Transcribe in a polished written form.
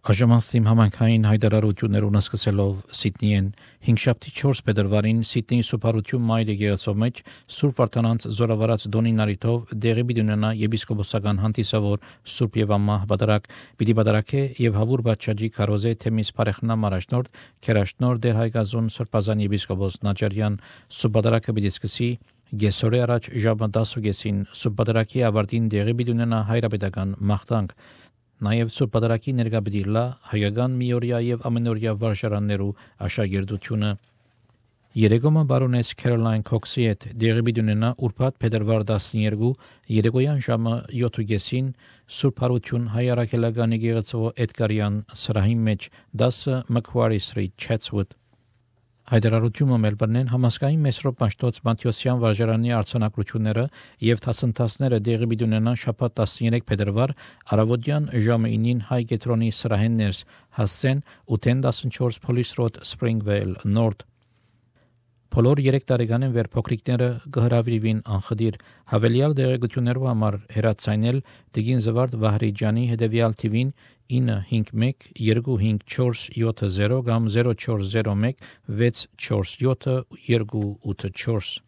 Աժամաստիմ համայնքային հայտարարություններուն սկսելով Սիդնիեն 5-4 փետրվարին Սիդնեի Սուփարություն Մայր եկեղեցու մեջ Սուրբ Վարդանանց զորավարած Դոնի Նարիթով դեղի պիտի ունենա եպիսկոպոսական հանդիսավոր Սուրբ եւ Ամմահ Բադարակ պիտի բադարակե եւ Հավուր Բաչաջի Քարոզե Թեմիս Փարեխնամ առաջնորդ Քերաշնոր Դեր Հայգազուն Սրբազան եպիսկոպոս Նաճարյան Սուրբ Բադարակը պիտի սկսի Գեսորե առաջ ժամը 10:30 Սուրբ Բադարակի ավարտին դեղի պիտի ունենա հայրապետական մաղթանք Նաև Սուրբ Պատարագի ներկա պիտի լա հայկական միօրյա եւ ամենօրյա վարժարաններու աշակերտությունը Երեգոմը բարոնես Քերոլայն Քոքսի հետ դեղի պիտի ունենա ուրբաթ փետրվար 12 երեկոյան ժամը 7:30 Սուրբ Հարություն հայ առաքելական եկեղեցու Էդգարյան սրահի մեջ 10 Macquarie Street Chatswood Հայդարարությունը Մելբուրնեն համասկային Մեսրոպ Մաշտոց Մատթեոսյան վարժարանի արձանագրությունները եւ դասընթացները դեղի պիտի ունենան շաբաթ 13 փետրվար առավոտյան ժամը 9-ին հայ կետրոնի սրահեններս հասցեն 814 Police Road Springvale North Բոլոր 3 տարեկանին վեր փոքրիկները կհրավիրվին անխդիր հավելյալ դեղեցություններով համար հեռացանել Տիգին Զվարդ Վահրիջյանի հետևյալ թիվին 951 25470 կամ 0401 647 284